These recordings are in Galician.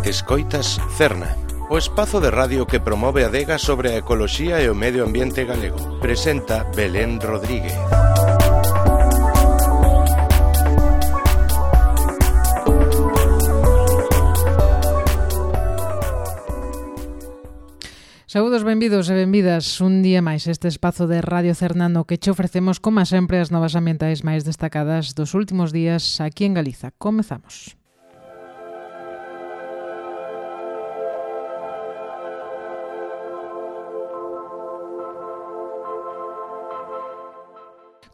Escoitas Cerna, o espazo de radio que promove a adega sobre a ecoloxía e o medio ambiente galego. Presenta Belén Rodríguez. Saúdos, benvidos e benvidas un día máis este espazo de Radio Cerna no que che ofrecemos, como sempre, as novas ambientais máis destacadas dos últimos días aquí en Galiza. Comezamos.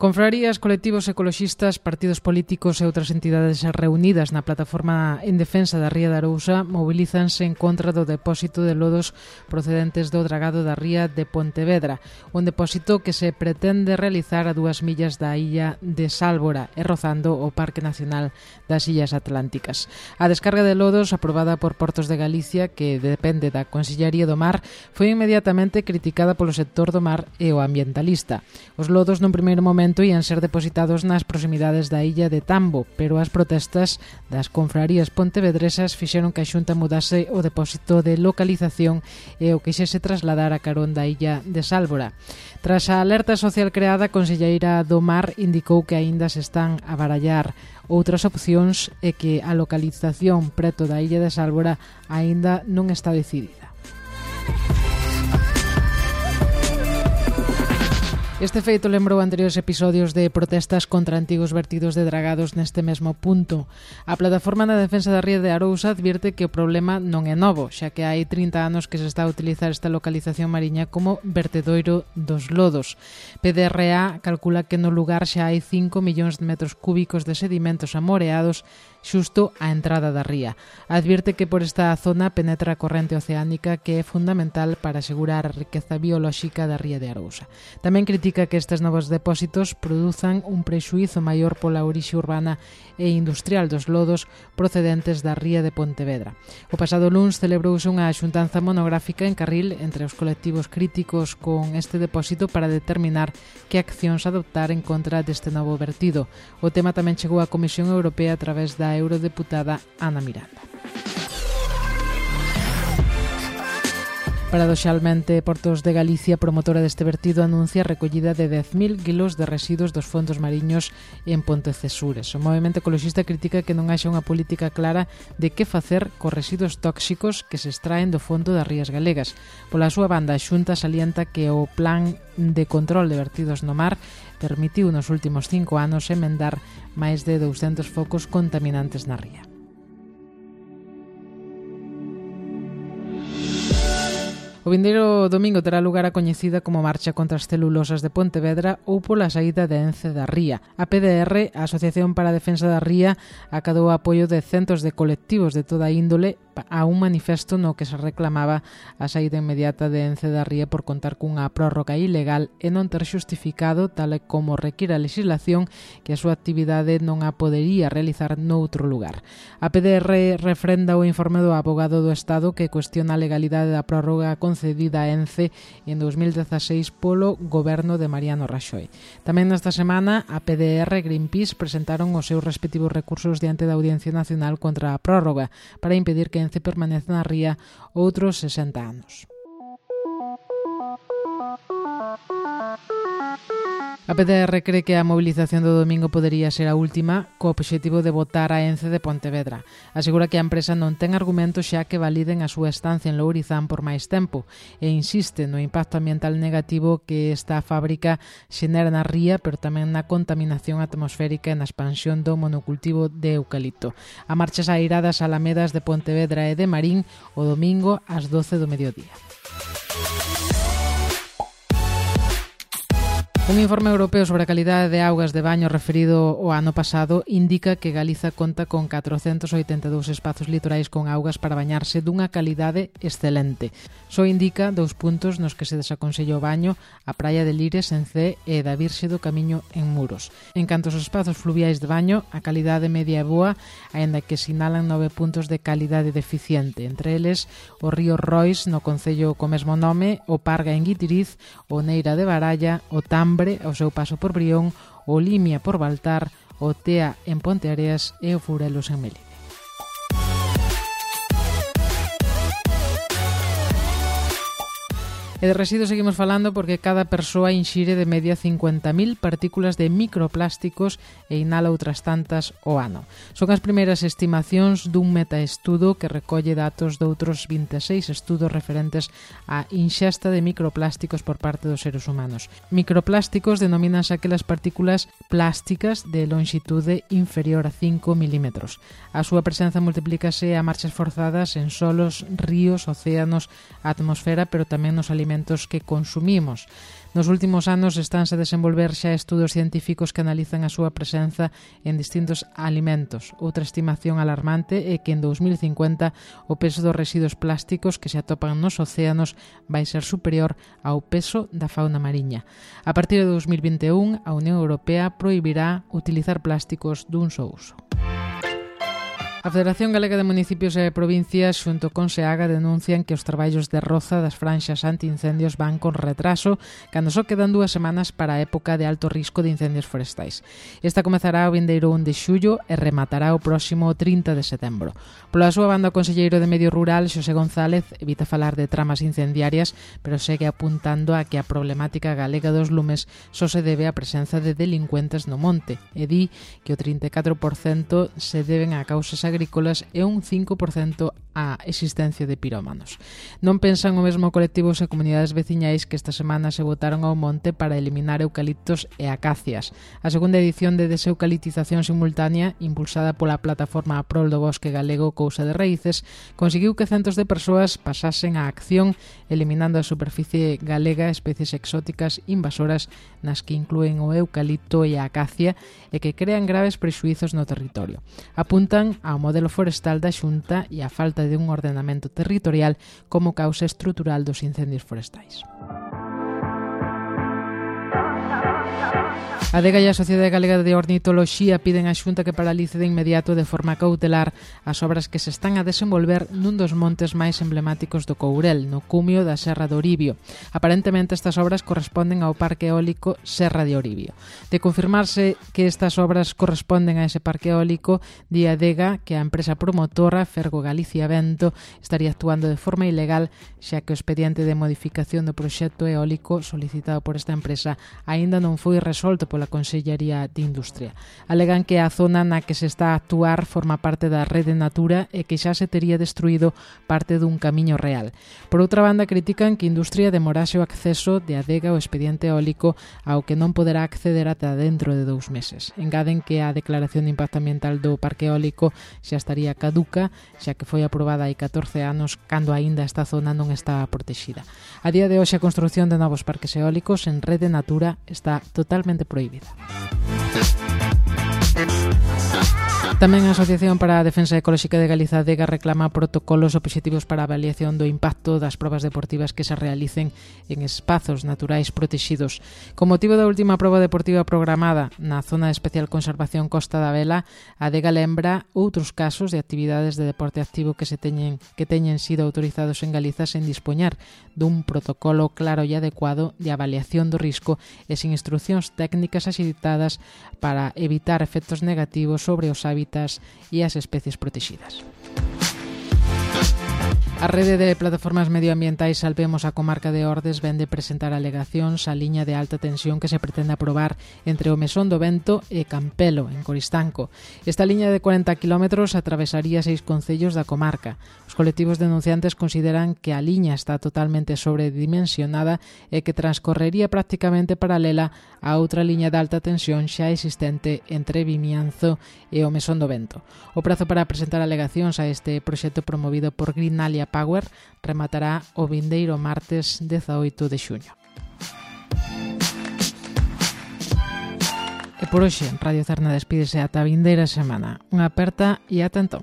Confrarías, colectivos ecoloxistas, partidos políticos e outras entidades reunidas na plataforma en defensa da ría de Arousa mobilízanse en contra do depósito de lodos procedentes do dragado da ría de Pontevedra, un depósito que se pretende realizar a 2 millas da illa de Sálvora e rozando o Parque Nacional das Illas Atlánticas. A descarga de lodos, aprobada por Portos de Galicia, que depende da Consellería do Mar, foi inmediatamente criticada polo sector do mar e o ambientalista. Os lodos, nun primeiro momento, ian ser depositados nas proximidades da illa de Tambo, pero as protestas das confrarías pontevedresas fixeron que a Xunta mudase o depósito de localización e o quixese trasladar a carón da illa de Sálvora. Tras a alerta social creada, a Conselleira do Mar indicou que aínda se están a barallar outras opcións e que a localización preto da illa de Sálvora aínda non está decidida. Este feito lembrou anteriores episodios de protestas contra antigos vertidos de dragados neste mesmo punto. A Plataforma na Defensa da Ría de Arousa advirte que o problema non é novo, xa que hai 30 anos que se está a utilizar esta localización mariña como vertedoiro dos lodos. PDRA calcula que no lugar xa hai 5 millóns de metros cúbicos de sedimentos amoreados xusto á entrada da ría. Advirte que por esta zona penetra a corrente oceánica que é fundamental para asegurar a riqueza biolóxica da ría de Arousa. Tamén critica que estes novos depósitos produzan un prexuízo maior pola orixe urbana e industrial dos lodos procedentes da ría de Pontevedra. O pasado luns celebrouse unha xuntanza monográfica en Carril entre os colectivos críticos con este depósito para determinar que accións adoptar en contra deste novo vertido. O tema tamén chegou á Comisión Europea a través da eurodeputada Ana Miranda. Paradoxalmente, Portos de Galicia, promotora deste vertido, anuncia a recollida de 10.000 kilos de residuos dos fondos mariños en Pontecesures. O movemento ecoloxista critica que non haxa unha política clara de que facer cos residuos tóxicos que se extraen do fondo das rías galegas. Pola súa banda, a Xunta salienta que o plan de control de vertidos no mar permitiu nos últimos 5 anos emendar máis de 200 focos contaminantes na ría. O vindeiro domingo terá lugar a coñecida como Marcha contra as Celulosas de Pontevedra ou pola saída de Ence da ría. A PDR, a Asociación para a Defensa da Ría, acadou o apoio de centos de colectivos de toda índole a un manifesto no que se reclamaba a saída inmediata de Ence da ría por contar cunha prórroga ilegal e non ter xustificado, tal como require a legislación, que a súa actividade non a podería realizar noutro lugar. A PDR refrenda o informe do abogado do Estado que cuestiona a legalidade da prórroga concedida a Ence en 2016 polo goberno de Mariano Raxoi. Tamén nesta semana a PDR e Greenpeace presentaron os seus respectivos recursos diante da Audiencia Nacional contra a prórroga para impedir que Ence permanece na ría outros 60 anos. A PDR cree que a movilización do domingo podería ser a última co obxectivo de botar a Ence de Pontevedra. Asegura que a empresa non ten argumentos xa que validen a súa estancia en Lourizán por máis tempo e insiste no impacto ambiental negativo que esta fábrica xenera na ría, pero tamén na contaminación atmosférica e na expansión do monocultivo de eucalipto. A marcha sairá das Alamedas de Pontevedra e de Marín o domingo ás 12 do mediodía. Un informe europeo sobre a calidade de augas de baño referido ao ano pasado indica que Galiza conta con 482 espazos litorais con augas para bañarse dunha calidade excelente. Só indica 2 puntos nos que se desaconsella o baño, a praia de Lires en C e da Virxe do Camiño en Muros. En canto aos espazos fluviais de baño, a calidade media é boa, aínda que sinalan 9 puntos de calidade deficiente, entre eles o río Rois no concello co mesmo nome, o Parga en Guitiriz, o Neira de Baralla, o Tambre ao seu paso por Brión, o Limia por Baltar, o Tea en Ponteareas e o Furelos en Melide. E de residuos seguimos falando porque cada persoa inxire de media 50.000 partículas de microplásticos e inhala outras tantas ao ano. Son as primeiras estimacións dun metaestudo que recolle datos de outros 26 estudos referentes á inxesta de microplásticos por parte dos seres humanos. Microplásticos denomínanse aquelas partículas plásticas de longitude inferior a 5 milímetros. A súa presenza multiplícase a marchas forzadas en solos, ríos, océanos, atmosfera, pero tamén nos alimentos que consumimos. Nos últimos anos estánse a desenvolver xa estudos científicos que analizan a súa presenza en distintos alimentos. Outra estimación alarmante é que en 2050 o peso dos residuos plásticos que se atopan nos océanos vai ser superior ao peso da fauna mariña. A partir de 2021, a Unión Europea prohibirá utilizar plásticos dun só uso. A Federación Galega de Municipios e Provincias xunto con SEAGA denuncian que os traballos de roza das franxas antiincendios van con retraso cando só quedan 2 semanas para a época de alto risco de incendios forestais. Esta comezará o vindeiro 1 de xullo e rematará o próximo 30 de setembro. Pola súa banda, o conselleiro de Medio Rural, Xosé González, evita falar de tramas incendiarias, pero segue apuntando a que a problemática galega dos lumes só se debe á presenza de delincuentes no monte e di que o 34% se deben a causas agrícolas e un 5% a existencia de pirómanos. Non pensan o mesmo colectivos e comunidades veciñais que esta semana se botaron ao monte para eliminar eucaliptos e acacias. A segunda edición de deseucaliptización simultánea, impulsada pola plataforma a prol do bosque galego Cousa de Raíces, conseguiu que centos de persoas pasasen á acción eliminando a superficie galega especies exóticas invasoras nas que inclúen o eucalipto e a acacia e que crean graves prexuizos no territorio. Apuntan ao modelo forestal da Xunta e a falta de un ordenamento territorial como causa estrutural dos incendios forestais. A ADEGA e a Sociedade Galega de Ornitoloxía piden á Xunta que paralice de inmediato de forma cautelar as obras que se están a desenvolver nun dos montes máis emblemáticos do Courel, no cumio da Serra de Oribio. Aparentemente estas obras corresponden ao Parque Eólico Serra de Oribio. De confirmarse que estas obras corresponden a ese parque eólico, di a ADEGA que a empresa promotora Fergo Galicia Vento estaría actuando de forma ilegal, xa que o expediente de modificación do proxecto eólico solicitado por esta empresa aínda non foi resolto pola Consellería de Industria. Alegan que a zona na que se está a actuar forma parte da rede Natura e que xa se tería destruído parte dun camiño real. Por outra banda, critican que Industria demorase o acceso de ADEGA ao expediente eólico ao que non poderá acceder ata dentro de 2 meses. Engaden que a declaración de impacto ambiental do parque eólico xa estaría caduca, xa que foi aprobada hai 14 anos cando aínda esta zona non estaba protegida. A día de hoxe a construción de novos parques eólicos en rede Natura está totalmente prohibida. Tamén a Asociación para a Defensa Ecolóxica de Galiza, ADEGA, reclama protocolos obxectivos para a avaliación do impacto das probas deportivas que se realicen en espazos naturais protexidos. Con motivo da última proba deportiva programada na Zona de Especial Conservación Costa da Vela, a ADEGA lembra outros casos de actividades de deporte activo que teñen sido autorizados en Galiza sen dispoñar dun protocolo claro e adecuado de avaliación do risco e sin instruccións técnicas axeitadas para evitar efectos negativos sobre os hábitats e as especies protegidas. A rede de plataformas medioambientais Salvemos a Comarca de Ordes vén de presentar alegacións á liña de alta tensión que se pretende aprobar entre o Mesón do Vento e Campelo, en Coristanco. Esta liña de 40 km atravesaría 6 concellos da comarca. Os colectivos denunciantes consideran que a liña está totalmente sobredimensionada e que transcorrería prácticamente paralela a outra liña de alta tensión xa existente entre Vimianzo e o Mesón do Vento. O prazo para presentar alegacións a este proxecto promovido por Greenalia Power rematará o vindeiro martes 18 de xuño. E por hoxe, Radio Cerna despídese ata a vindeira semana. Unha aperta e ata entón.